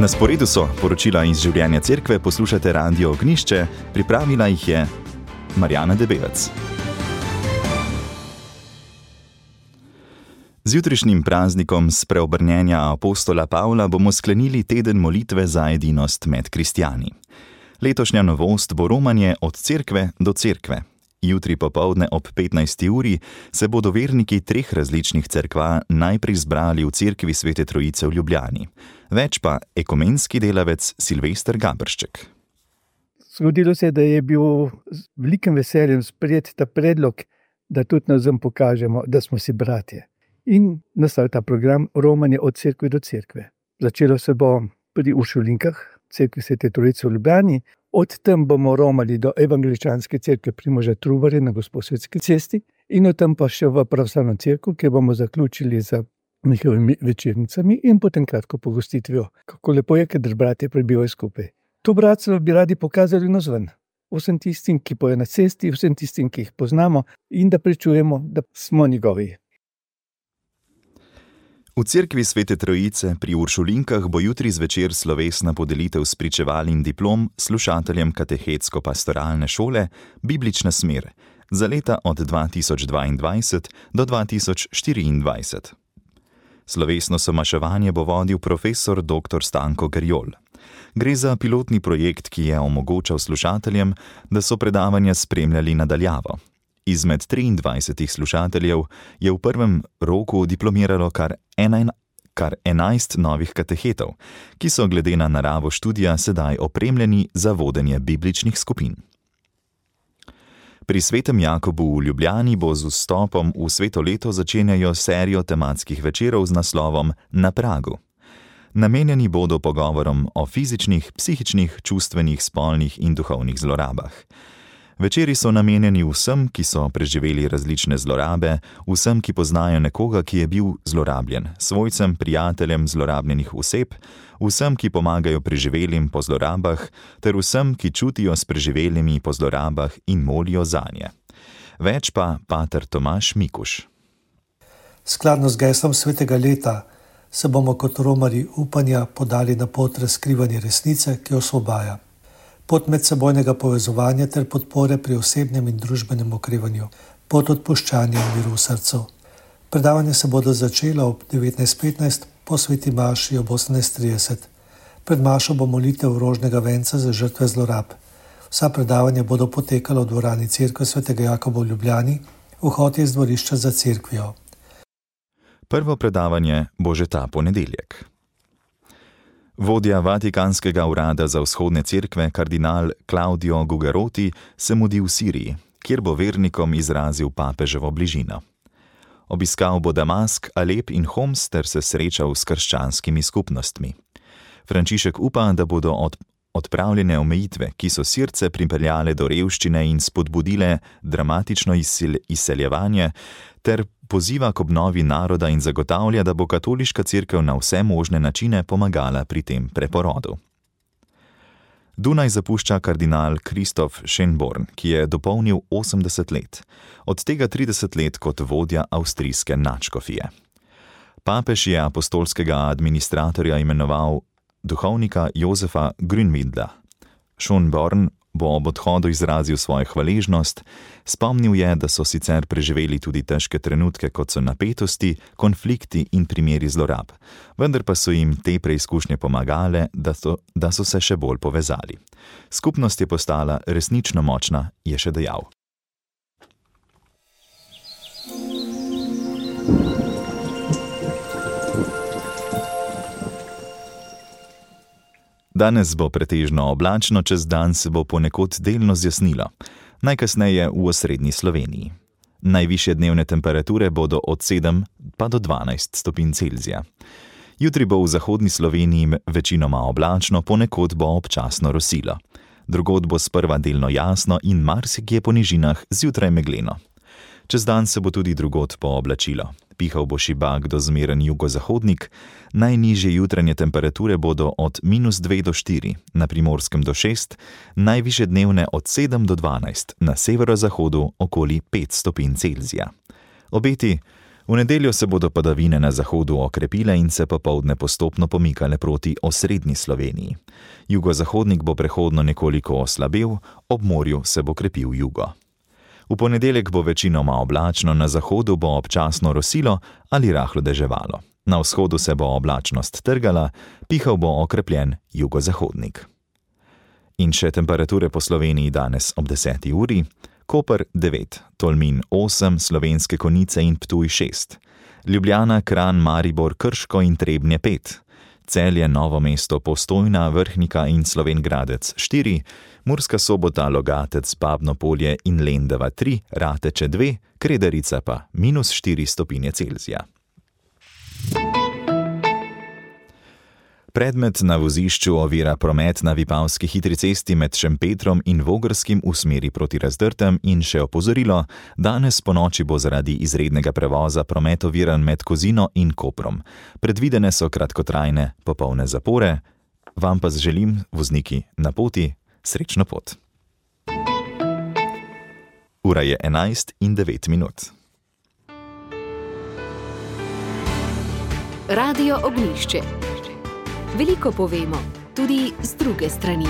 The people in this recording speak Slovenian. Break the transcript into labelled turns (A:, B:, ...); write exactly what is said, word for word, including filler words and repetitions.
A: Na sporedu so poročila iz življenja cerkve, poslušate Radio Ognjišče, pripravila jih je Marjana Debevec. Z jutrišnjim praznikom spreobrnjenja apostola Pavla bomo sklenili teden molitve za edinost med kristjani. Letošnja novost bo romanje od cerkve do cerkve. Jutri popoldne ob petnajsti uri se bodo verniki treh različnih cerkva najprej zbrali v cerkvi Svete Trojice v Ljubljani. Več pa ekumenski delavec Silvester Gabršček.
B: Zgodilo se je, da je bil z velikim veseljem sprejet ta predlog, da tudi navzem pokažemo, da smo si bratje. In nastal ta program romanje od cerkve do cerkve. Začelo se bo pri Uršulinkah, cerkvi Svete Trojice v Ljubljani. Od tam bomo romali do evangeličanske cerkve Primoža Trubarja na Gosposvetski cesti in od tam pa še v pravoslavno cerkev, kjer bomo zaključili z njihovimi večernicami in potem kratko pogostitvijo. Kako lepo je, kadar bratje prebivajo skupaj. To bratstvo bi radi pokazali navzven. Vsem tistim, ki pojejo na cesti, vsem tistim, ki jih poznamo in da pričujemo, da smo njegovi.
A: V cerkvi Svete Trojice pri Uršulinkah bo jutri zvečer slovesna podelitev spričeval in diplom slušateljem katehetsko-pastoralne šole Biblična smer za leta od dva tisoč dvaindvajset do dva tisoč štiriindvajset. Slovesno somaševanje bo vodil profesor doktor Stanko Gerjol. Gre za pilotni projekt, ki je omogočal slušateljem, da so predavanja spremljali nadaljavo. Izmed triindvajsetih slušateljev je v prvem roku diplomiralo kar, ena, kar enajst novih katehetov, ki so glede na naravo študija sedaj opremljeni za vodenje bibličnih skupin. Pri Svetem Jakobu v Ljubljani bo z vstopom v sveto leto začenjajo serijo tematskih večerov z naslovom Na pragu. Namenjeni bodo pogovorom o fizičnih, psihičnih, čustvenih, spolnih in duhovnih zlorabah. Večeri so namenjeni vsem, ki so preživeli različne zlorabe, vsem, ki poznajo nekoga, ki je bil zlorabljen, svojcem, prijateljem zlorabljenih oseb, vsem, ki pomagajo preživelim po zlorabah, ter vsem, ki čutijo s preživelimi po zlorabah in molijo zanje. Več pa pater Tomaž Mikuš.
C: Skladno z geslom svetega leta se bomo kot romarji upanja podali na pot razkrivanja resnice, ki osvobaja. Pot medsebojnega povezovanja ter podpore pri osebnem in družbenem okrevanju, pot odpuščanja in miru v srcu. Predavanje se bodo začelo ob devetnajst petnajst, po sveti maši ob osemnajst trideset. Pred mašo bo molitev rožnega venca za žrtve zlorab. Vsa predavanja bodo potekala v dvorani cerkve Svetega Jakoba v Ljubljani, vhod je iz dvorišča za cerkvijo.
A: Prvo predavanje bo že ta ponedeljek. Vodja Vatikanskega urada za vzhodne cerkve, kardinal Claudio Gugeroti, se mudi v Siriji, kjer bo vernikom izrazil papeževo bližino. Obiskal bo Damask, Alep in Homs ter se srečal s krščanskimi skupnostmi. Frančišek upa, da bodo od, odpravljene omejitve, ki so Sirce pripeljale do revščine in spodbudile dramatično izsel, izseljevanje, ter poziva k obnovi naroda in zagotavlja, da bo katoliška cerkev na vse možne načine pomagala pri tem preporodu. Dunaj zapušča kardinal Kristof Schönborn, ki je dopolnil osemdeset let, od tega trideset let kot vodja avstrijske nadškofije. Papež je apostolskega administratorja imenoval duhovnika Jozefa Grünwindla. Schönborn bo ob odhodu izrazil svojo hvaležnost, spomnil je, da so sicer preživeli tudi težke trenutke, kot so napetosti, konflikti in primeri zlorab, vendar pa so jim te preizkušnje pomagale, da so, da so se še bolj povezali. Skupnost je postala resnično močna, je še dejal. Danes bo pretežno oblačno, čez dan se bo ponekod delno zjasnilo, najkasneje v osrednji Sloveniji. Najvišje dnevne temperature bodo od sedem pa do dvanajst stopinj Celzija. Jutri bo v zahodni Sloveniji večinoma oblačno, ponekod bo občasno rosilo. Drugod bo sprva delno jasno in marsikje po nižinah zjutraj megleno. Čez dan se bo tudi drugod pooblačilo. Pihal bo šibak do zmeren jugozahodnik, najnižje jutranje temperature bodo od minus dve do štiri, na Primorskem do šest, najvišje dnevne od sedem do dvanajst, na severozahodu okoli pet stopinj Celzija. Obeti: V nedeljo se bodo padavine na zahodu okrepile in se popoldne postopno pomikale proti osrednji Sloveniji. Jugozahodnik bo prehodno nekoliko oslabel, ob morju se bo krepil jugo. V ponedeljek bo večinoma oblačno, na zahodu bo občasno rosilo ali rahlo deževalo. Na vzhodu se bo oblačnost trgala, pihal bo okrepljen jugozahodnik. In še temperature po Sloveniji danes ob deseti uri. Koper devet, Tolmin osem, Slovenske Konjice in Ptuj šest. Ljubljana, Kranj, Maribor, Krško in Trebnje pet. Celje, Novo mesto, Postojna, Vrhnika in Slovenj Gradec štiri. Murska Sobota, Logatec, Babno Polje in Lendava tri, Rateče dve, Kredarica pa minus štiri stopinje Celzija. Predmet na vozišču ovira promet na Vipavski hitri cesti med Šempetrom in Vogrskim v smeri proti Razdrtem in še opozorilo, danes ponoči bo zaradi izrednega prevoza promet oviran med Kozino in Koprom. Predvidene so kratkotrajne popolne zapore. Vam pa želim, vozniki na poti, srečno pot. Ura je enajst in devet minut.
D: Radio Ognjišče. Veliko povemo, tudi z druge strani.